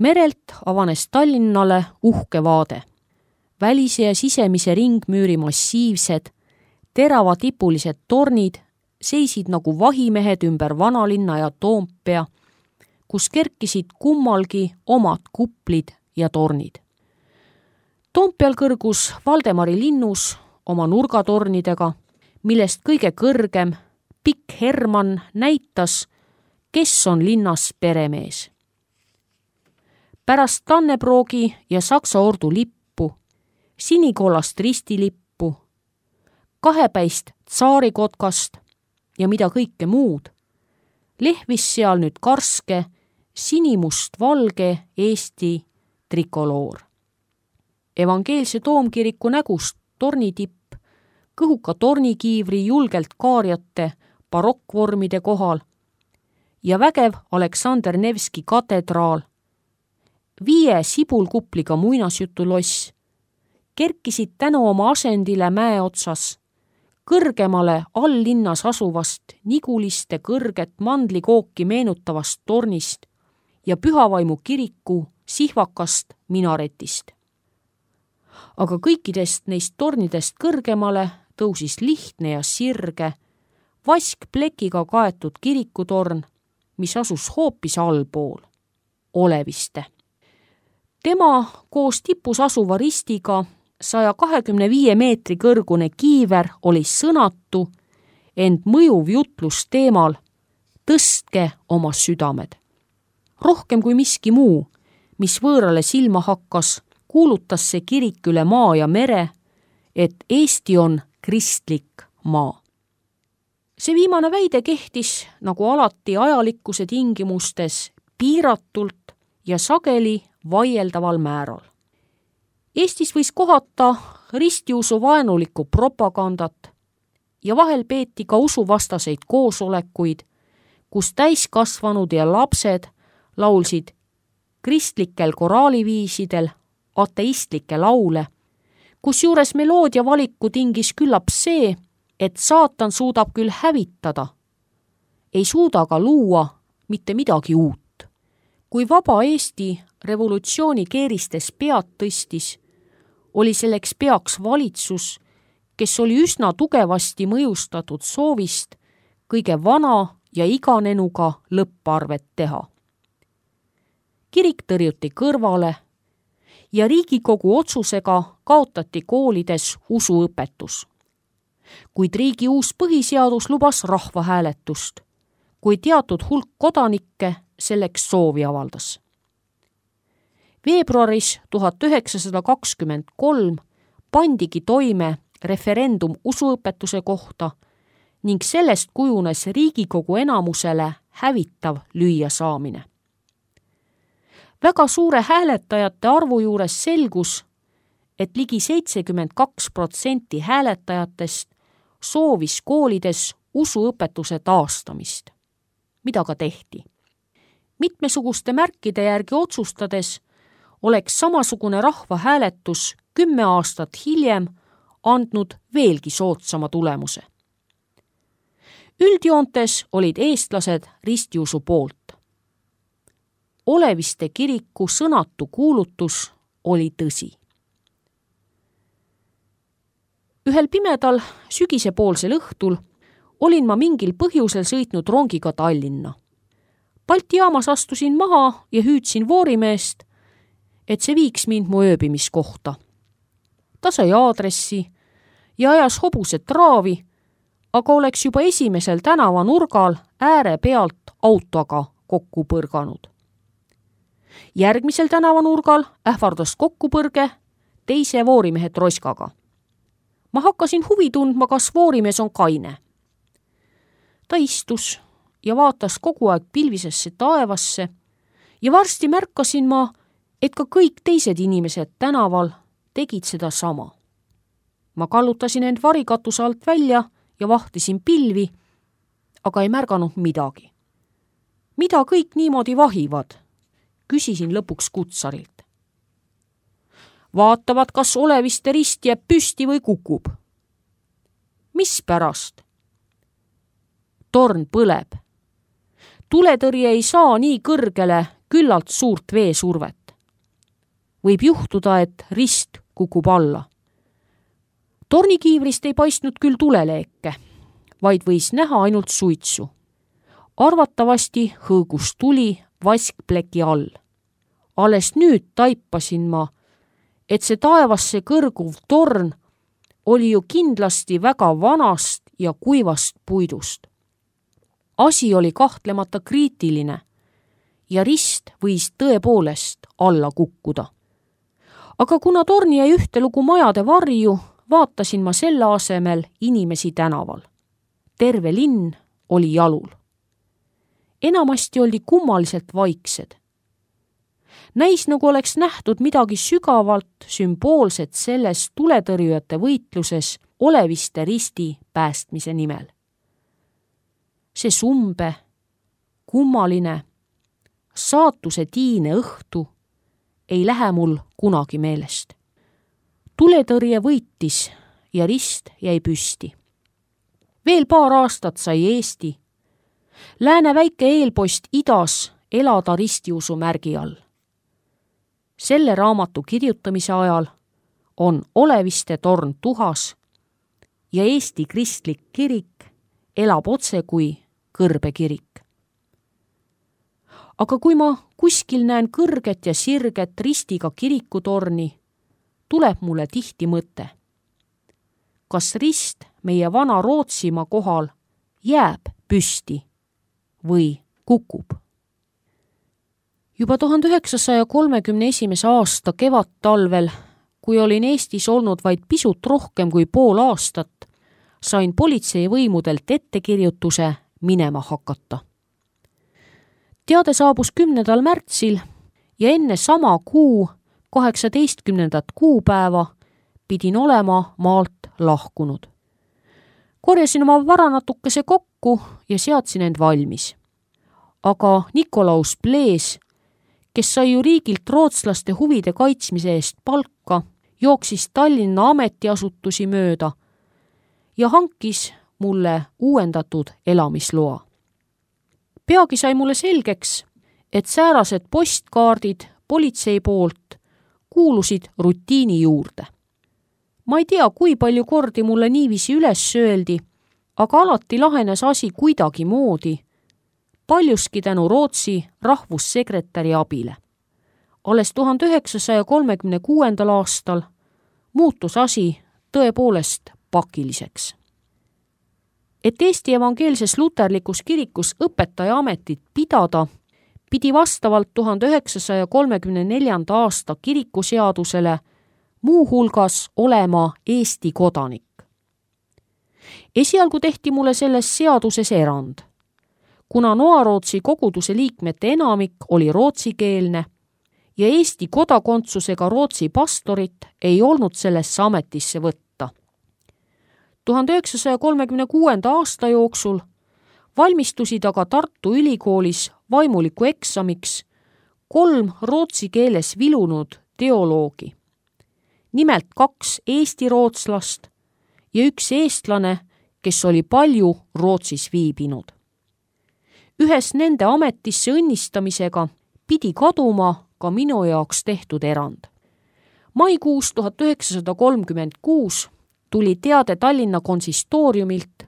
Merelt avanes Tallinnale uhke vaade. Välise ja sisemise ringmüüri massiivsed, teravatipulised tornid seisid nagu vahimehed ümber vanalinna ja Toompea, kus kerkisid kummalgi omad kuplid ja tornid. Toompeal kõrgus Valdemari linnus oma nurgatornidega, millest kõige kõrgem, pikk Hermann näitas, kes on linnas peremees. Pärast Tannebroogi ja Saksa ordu lippu, sinikollast ristilippu, kahepäist tsaarikotkast ja mida kõike muud, lehvis seal nüüd karske sinimust-valge Eesti trikoloor. Evangeelse toomkiriku nägust tornitipp, kõhuka tornikiivri julgelt kaarjate barokkvormide kohal ja vägev Aleksander Nevski katedraal, 5 sibulkupliga muinasjutuloss kerkisid tänu oma asendile mäe otsas, kõrgemale alllinnas asuvast Niguliste kõrget mandlikooki meenutavast tornist ja Pühavaimu kiriku sihvakast minaretist. Aga kõikidest neist tornidest kõrgemale tõusis lihtne ja sirge, vaskplekiga kaetud kirikutorn, mis asus hoopis allpool, Oleviste. Tema koos tipus asuva ristiga 125 meetri kõrgune kiiver oli sõnatu, ent mõjuv jutlus teemal "Tõstke oma südamed". Rohkem kui miski muu, mis võõrale silma hakkas, kuulutas see kirik üle maa ja mere, et Eesti on kristlik maa. See viimane väide kehtis, nagu alati ajalikkuse tingimustes, piiratult ja sageli vaieldaval määral. Eestis võis kohata ristiusu vaenulikku propagandat ja vahel peeti ka usuvastaseid koosolekuid, kus täiskasvanud ja lapsed laulsid kristlikel koraaliviisidel ateistlikke laule, kusjuures meloodia valiku tingis küllap see, et saatan suudab küll hävitada, ei suuda ka luua mitte midagi uut. Kui vaba Eesti revolutsiooni keeristes pead tõstis, oli selleks peaks valitsus, kes oli üsna tugevasti mõjustatud soovist kõige vana ja iganenuga lõpparvet teha. Kirik tõrjuti kõrvale ja Riigikogu otsusega kaotati koolides usuõpetus. Kuid riigi uus põhiseadus lubas rahvahääletust, kui teatud hulk kodanikke selleks soovi avaldas. Veebruaris 1923 pandigi toime referendum usuõpetuse kohta ning sellest kujunes Riigikogu enamusele hävitav lüüasaamine. Väga suure hääletajate arvu juures selgus, et ligi 72% hääletajatest soovis koolides usuõpetuse taastamist, mida ka tehti. Mitmesuguste märkide järgi otsustades oleks samasugune rahvahääletus 10 aastat hiljem andnud veelgi soodsama tulemuse. Üldjoontes olid eestlased ristiusu poolt. Oleviste kiriku sõnatu kuulutus oli tõsi. Ühel pimedal sügisepoolsel õhtul olin ma mingil põhjusel sõitnud rongiga Tallinna. Balti jaamas astusin maha ja hüüdsin voorimeest, et see viiks mind mu ööbimiskohta. Ta sai aadressi ja ajas hobused raavi, aga oleks juba esimesel tänavanurgal ääre pealt autoga kokku põrganud. Järgmisel tänavanurgal ähvardas kokkupõrge teise voorimehe troskaga. Ma hakkasin huvi tundma, kas voorimees on kaine. Ta istus ja vaatas kogu aeg pilvisesse taevasse ja varsti märkasin ma, et ka kõik teised inimesed tänaval tegid seda sama. Ma kallutasin end varikatuse alt välja ja vahtisin pilvi, aga ei märganud midagi. Mida kõik niimoodi vahivad? Küsisin lõpuks kutsarilt. Vaatavad, kas Oleviste rist jääb püsti või kukub. Mis pärast? Torn põleb. Tuletõrje ei saa nii kõrgele küllalt suurt veesurvet. Võib juhtuda, et rist kukub alla. Tornikiivrist ei paistnud küll tuleleeke, vaid võis näha ainult suitsu. Arvatavasti hõõgus tuli vaskpleki all. Alles nüüd taipasin ma, et see taevasse kõrguv torn oli ju kindlasti väga vanast ja kuivast puidust. Asi oli kahtlemata kriitiline ja rist võis tõepoolest alla kukkuda. Aga kuna torn jäi ühtelugu majade varju, vaatasin ma selle asemel inimesi tänaval. Terve linn oli jalul. Enamasti oldi kummaliselt vaiksed. Näis nagu oleks nähtud midagi sügavalt sümboolset selles tuletõrjujate võitluses Oleviste risti päästmise nimel. See sumbe, kummaline, saatuse tiine õhtu ei lähe mul kunagi meelest. Tuletõrje võitis ja rist jäi püsti. Veel paar aastat sai Eesti, lääne väike eelpost idas elada ristiusu märgi all. Selle raamatu kirjutamise ajal on Oleviste torn tuhas ja Eesti kristlik kirik elab otse kui kõrbekirik. Aga kui ma kuskil näen kõrget ja sirget ristiga kirikutorni, tuleb mulle tihti mõte. Kas rist meie vana Rootsimaa kohal jääb püsti või kukub? Juba 1931. aasta kevadtalvel, kui olin Eestis olnud vaid pisut rohkem kui pool aastat, sain politseivõimudelt ettekirjutuse minema hakata. Teade saabus 10. märtsil ja enne sama kuu 18. kuupäeva pidin olema maalt lahkunud. Korjasin oma vara natukese kokku ja seadsin end valmis. Aga Nikolaus Plees, kes sai ju riigilt rootslaste huvide kaitsmise eest palka, jooksis Tallinna ametiasutusi mööda ja hankis mulle uuendatud elamisloa. Peagi sai mulle selgeks, et säärased postkaardid politsei poolt kuulusid rutiini juurde. Ma ei tea, kui palju kordi mulle niiviisi üles sööldi, aga alati lahenes asi kuidagi moodi, paljuski tänu Rootsi rahvussekretäri abile. Alles 1936. aastal muutus asi tõepoolest pakiliseks. Et Eesti evangeelses luterlikus kirikus õpetaja ametit pidada, pidi vastavalt 1934. aasta kirikuseadusele muuhulgas olema Eesti kodanik. Esialgu tehti mulle selles seaduses erand. Kuna Noarootsi koguduse liikmete enamik oli rootsikeelne ja Eesti kodakondsusega Rootsi pastorit ei olnud sellesse ametisse võtta. 1936. aasta jooksul valmistusid aga Tartu Ülikoolis vaimuliku eksamiks 3 rootsi keeles vilunud teoloogi. Nimelt 2 eesti rootslast ja 1 eestlane, kes oli palju Rootsis viibinud. Ühes nende ametisse õnnistamisega pidi kaduma ka minu jaoks tehtud erand. Maikuus 1936 tuli teade Tallinna konsistooriumilt,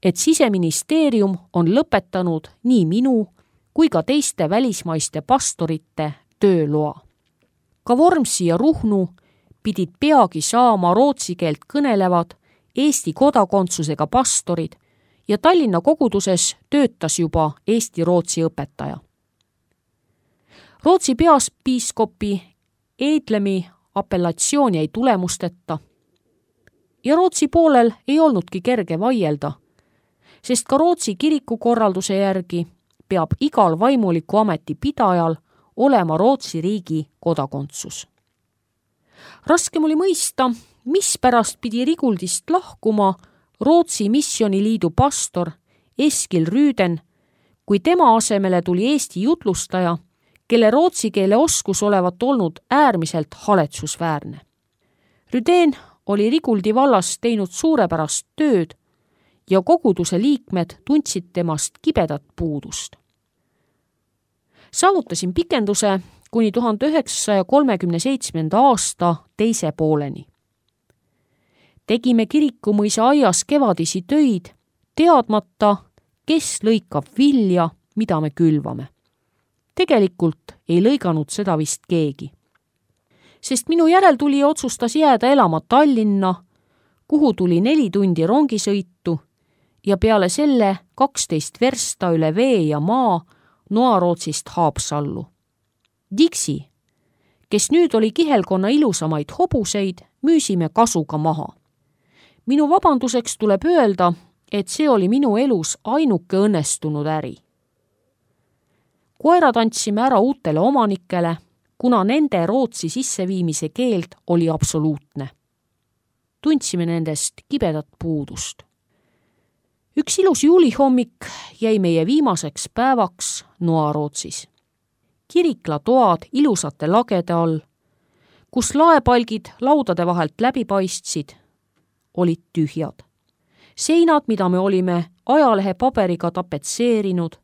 et Siseministeerium on lõpetanud nii minu kui ka teiste välismaiste pastorite tööloa. Ka Vormsi ja Ruhnu pidid peagi saama rootsi keelt kõnelevad Eesti kodakondsusega pastorid ja Tallinna koguduses töötas juba eesti-rootsi õpetaja. Rootsi peaspiiskopi Edlemi apellatsioon jäi tulemusteta ja Rootsi poolel ei olnudki kerge vaielda, sest ka Rootsi kirikukorralduse järgi peab igal vaimuliku ameti pidajal olema Rootsi riigi kodakondsus. Raskem oli mõista, mispärast pidi Riguldist lahkuma Rootsi missioniliidu pastor Eskil Rüüden, kui tema asemele tuli Eesti jutlustaja, kelle rootsi keele oskus olevat olnud äärmiselt haletsusväärne. Rüüden oli Riguldi vallas teinud suurepärast tööd ja koguduse liikmed tundsid temast kibedat puudust. Saavutasin pikenduse kuni 1937. aasta teise pooleni. Tegime Kirikumõisa aias kevadisi töid, teadmata, kes lõikab vilja, mida me külvame. Tegelikult ei lõiganud seda vist keegi. Sest minu järeltulija otsustas jääda elama Tallinna, kuhu tuli 4 tundi rongisõitu ja peale selle 12 versta üle vee ja maa Noarootsist Haapsallu. Dixi, kes nüüd oli kihelkonna ilusamaid hobuseid, müüsime kasuga maha. Minu vabanduseks tuleb öelda, et see oli minu elus ainuke õnnestunud äri. Koerad andsime ära uutele omanikele, kuna nende Rootsi sisseviimise keeld oli absoluutne. Tundsime nendest kibedat puudust. Üks ilus juulihommik jäi meie viimaseks päevaks Noarootsis. Kiriklatoad ilusate lagede all, kus laepalgid laudade vahelt läbi paistsid, olid tühjad. Seinad, mida me olime ajalehe paberiga tapetseerinud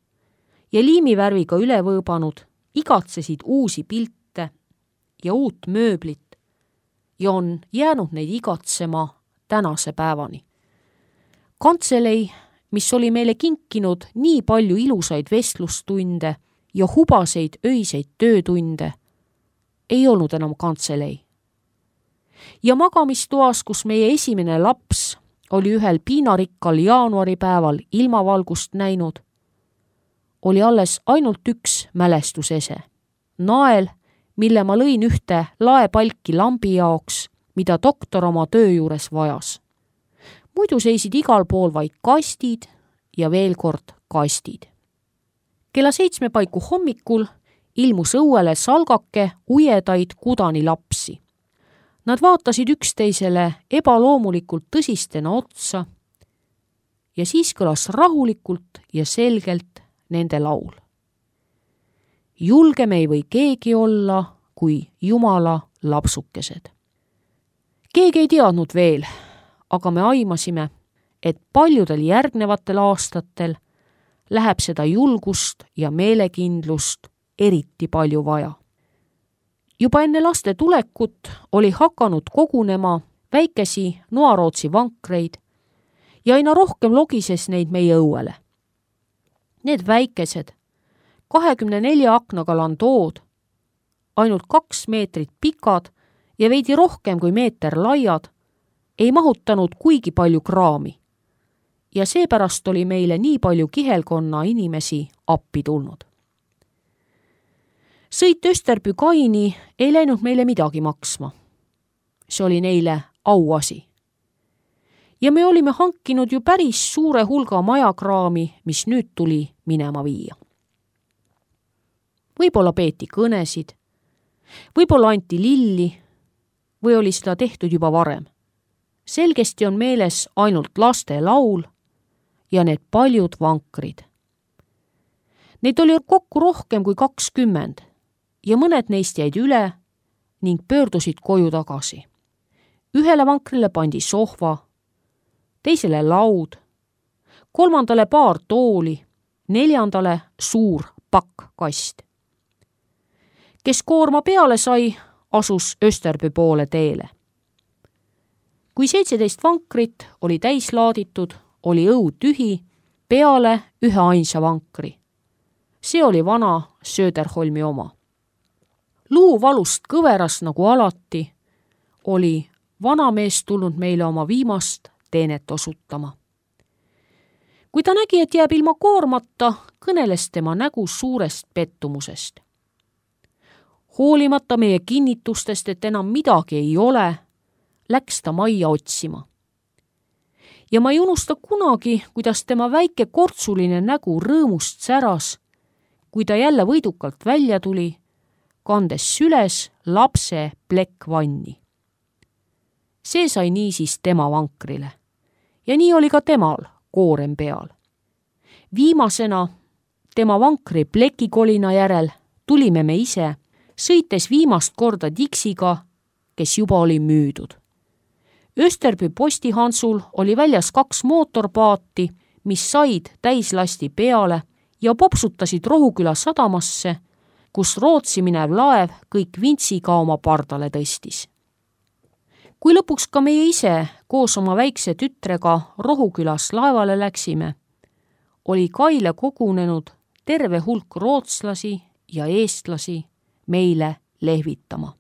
ja liimivärviga üle võõbanud, igatsesid uusi pilte ja uut mööblit ja on jäänud neid igatsema tänase päevani. Kantselei, mis oli meile kinkinud nii palju ilusaid vestlustunde ja hubaseid öiseid töötunde, ei olnud enam kantselei. Ja magamistoas, kus meie esimene laps oli ühel piinarikkal jaanuaripäeval ilmavalgust näinud, oli alles ainult üks mälestusese. Nael, mille ma lõin ühte laepalki lambi jaoks, mida doktor oma töö juures vajas. Muidu seisid igal pool vaid kastid ja veel kord kastid. Kella 7 paiku hommikul ilmus õuele salgake ujedaid kudani lapsi. Nad vaatasid üksteisele ebaloomulikult tõsistena otsa ja siis kõlas rahulikult ja selgelt nende laul. Julgem ei või keegi olla kui Jumala lapsukesed. Keegi ei teadnud veel, aga me aimasime, et paljudel järgnevatel aastatel läheb seda julgust ja meelekindlust eriti palju vaja. Juba enne laste tulekut oli hakanud kogunema väikesi Noarootsi vankreid ja aina rohkem logises neid meie õuele. Need väikesed 24 aknaga landood, ainult 2 meetrit pikad ja veidi rohkem kui meeter laiad, ei mahutanud kuigi palju kraami ja seepärast oli meile nii palju kihelkonna inimesi appi tulnud. Sõit Österbü kaini ei läinud meile midagi maksma. See oli neile auasi. Ja me olime hankinud ju päris suure hulga majakraami, mis nüüd tuli minema viia. Võib-olla peeti kõnesid, võib-olla anti lilli või oli seda tehtud juba varem. Selgesti on meeles ainult laste laul ja need paljud vankrid. Neid oli kokku rohkem kui 20 ja mõned neist jäid üle ning pöördusid koju tagasi. Ühele vankrile pandi sohva, teisele laud, 3. paar tooli, 4. suur pakkkast. Kes koorma peale sai, asus Österbü poole teele. Kui 17 vankrit oli täis laaditud, oli õu tühi peale ühe ainsa vankri. See oli vana Söderholmi oma. Luu valust kõveras nagu alati, oli vanamees tulnud meile oma viimast teenet osutama. Kui ta nägi, et jääb ilma koormata, kõneles tema nägu suurest pettumusest. Hoolimata meie kinnitustest, et enam midagi ei ole, läks ta majja otsima. Ja ma ei unusta kunagi, kuidas tema väike kortsuline nägu rõõmust säras, kui ta jälle võidukalt välja tuli, kandes süles lapse plekkvanni. See sai niisiis tema vankrile ja nii oli ka temal koorem peal. Viimasena tema vankri plekikolina järel tulime me ise, sõites viimast korda Dixiga, kes juba oli müüdud. Österbü postihansul oli väljas 2 mootorpaati, mis said täislasti peale ja popsutasid Rohuküla sadamasse, kus Rootsi minev laev kõik vintsiga oma pardale tõstis. Kui lõpuks ka meie ise koos oma väikse tütrega Rohukülas laevale läksime, oli kaile kogunenud terve hulk rootslasi ja eestlasi meile lehvitama.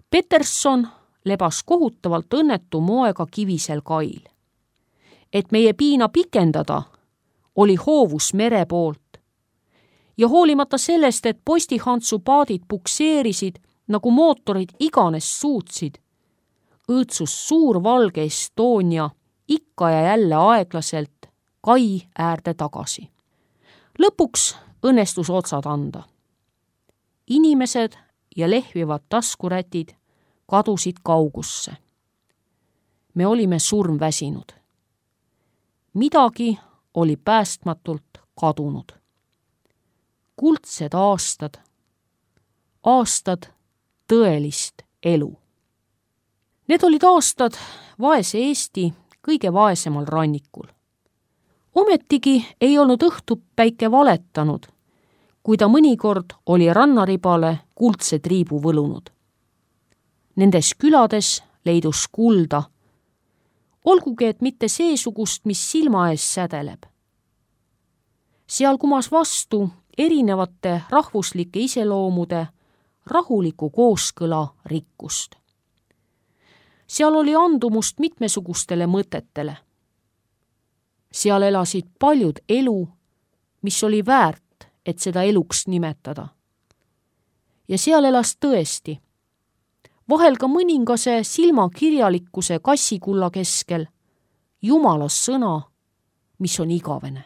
Peterson lebas kohutavalt õnnetu moega kivisel kail. Et meie piina pikendada, oli hoovus mere poolt. Ja hoolimata sellest, et postihantsu paadid pukseerisid, nagu mootorid iganes suutsid, õõtsus suur valge Estonia ikka ja jälle aeglaselt kai äärde tagasi. Lõpuks õnnestus otsad anda. Inimesed ja lehvivad taskurätid kadusid kaugusse. Me olime surmväsinud. Midagi oli päästmatult kadunud. Kuldsed aastad, aastad tõelist elu. Need olid aastad vaese Eesti kõige vaesemal rannikul. Ometigi ei olnud õhtupäike valetanud, kui ta mõnikord oli rannaribale kuldse triibu võlunud. Nendes külades leidus kulda, olgugi et mitte seesugust, mis silma ees sädeleb. Seal kumas vastu erinevate rahvuslike iseloomude rahuliku kooskõla rikkust. Seal oli andumust mitmesugustele mõtetele. Seal elasid paljud elu, mis oli väärt, et seda eluks nimetada. Ja seal elas tõesti, vahel ka mõningase silmakirjalikkuse kassikulla keskel, Jumala sõna, mis on igavene.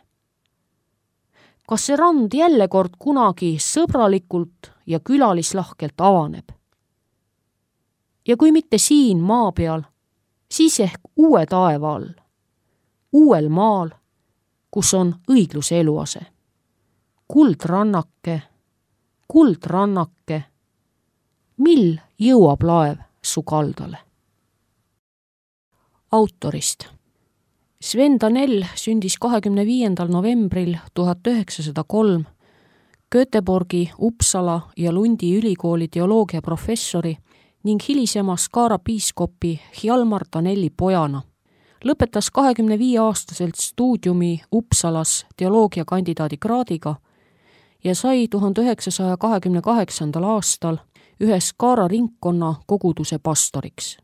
Kas see rand jälle kord kunagi sõbralikult ja külalislahkelt avaneb? Ja kui mitte siin maa peal, siis ehk uue taeva all, uuel maal, kus on õigluse eluase. Kuldrannake, mil jõuab laev su kaldale? Autorist. Sven Danell sündis 25. novembril 1903 Göteborgi, Uppsala ja Lundi ülikooli teoloogiaprofessori ning hilisema Skara piiskopi Hjalmar Danelli pojana. Lõpetas 25-aastaselt stuudiumi Uppsalas teoloogiakandidaadi kraadiga ja sai 1928. aastal ühe Skara ringkonna koguduse pastoriks.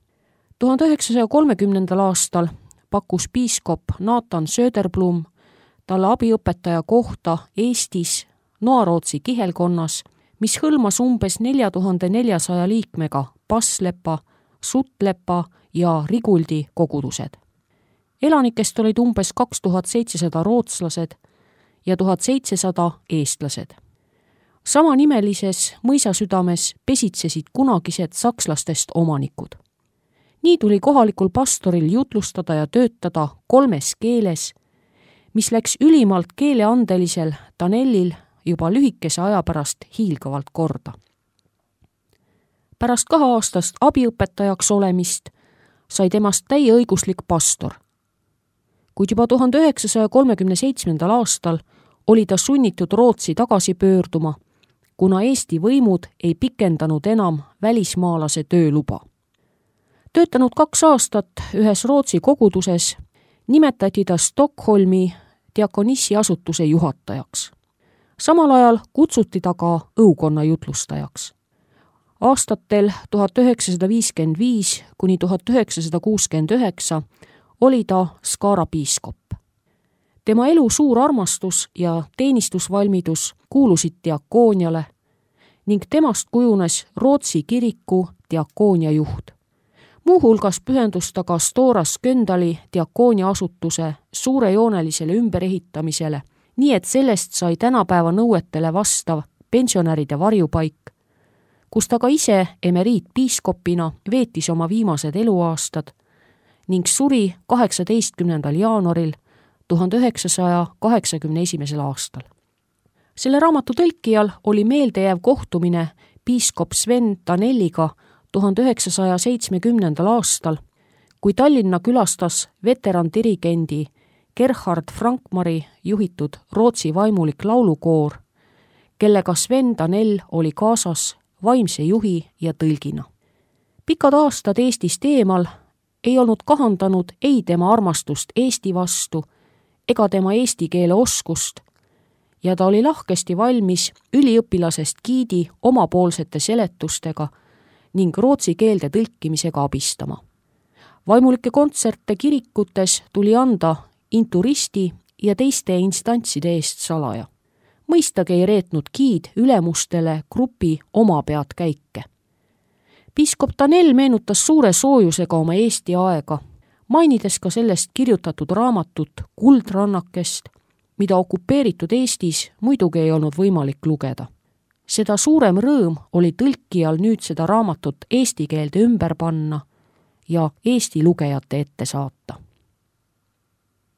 1930. aastal pakkus piiskop Nathan Söderblom talle abiõpetaja kohta Eestis Noarootsi kihelkonnas, mis hõlmas umbes 4400 liikmega Passlepa, Suttlepa ja Riguldi kogudused. Elanikest olid umbes 2700 rootslased ja 1700 eestlased. Samanimelises mõisasüdames pesitsesid kunagised sakslastest omanikud. Nii tuli kohalikul pastoril jutlustada ja töötada 3 keeles, mis läks ülimalt keeleandelisel Danellil juba lühikese aja pärast hiilgavalt korda. Pärast 2-aastast abiõpetajaks olemist sai temast täieõiguslik pastor. Kuid juba 1937. aastal oli ta sunnitud Rootsi tagasi pöörduma, kuna Eesti võimud ei pikendanud enam välismaalase tööluba. Töötanud 2 aastat ühes Rootsi koguduses, nimetati ta Stockholmi diakonissi-asutuse juhatajaks. Samal ajal kutsuti ta ka õukonna jutlustajaks. Aastatel 1955 kuni 1969 oli ta Skara piiskop. Tema elu suur armastus ja teenistusvalmidus kuulusid diakooniale ning temast kujunes Rootsi kiriku diakoonia juht. Muuhulgas pühendus ta ka Stora Sköndali diakoonia asutuse suurejoonelisele ümberehitamisele, nii et sellest sai tänapäeva nõuetele vastav pensionäride varjupaik, kus ta ka ise emeriitpiiskopina veetis oma viimased eluaastad ning suri 18. jaanuaril 1981. aastal. Selle raamatu tõlkijal oli meeldejääv kohtumine piiskop Sven Danelliga 1970. aastal, kui Tallinna külastas veterandirigendi Gerhard Frankmari juhitud Rootsi vaimulik laulukoor, kellega Sven Danell oli kaasas vaimse juhi ja tõlgina. Pikad aastad Eestist eemal ei olnud kahandanud ei tema armastust Eesti vastu ega tema eesti keele oskust ja ta oli lahkesti valmis üliõpilasest giidi omapoolsete seletustega ning rootsi keelde tõlkimisega abistama. Vaimulike kontserte kirikutes tuli anda inturisti ja teiste instantside eest salaja. Mõistagi ei reetnud giid ülemustele grupi oma pead käike. Piiskop Danell meenutas suure soojusega oma Eesti aega, mainides ka sellest kirjutatud raamatut Kuldrannakest, mida okupeeritud Eestis muidugi ei olnud võimalik lugeda. Seda suurem rõõm oli tõlkijal nüüd seda raamatut eesti keelde ümber panna ja Eesti lugejate ette saata.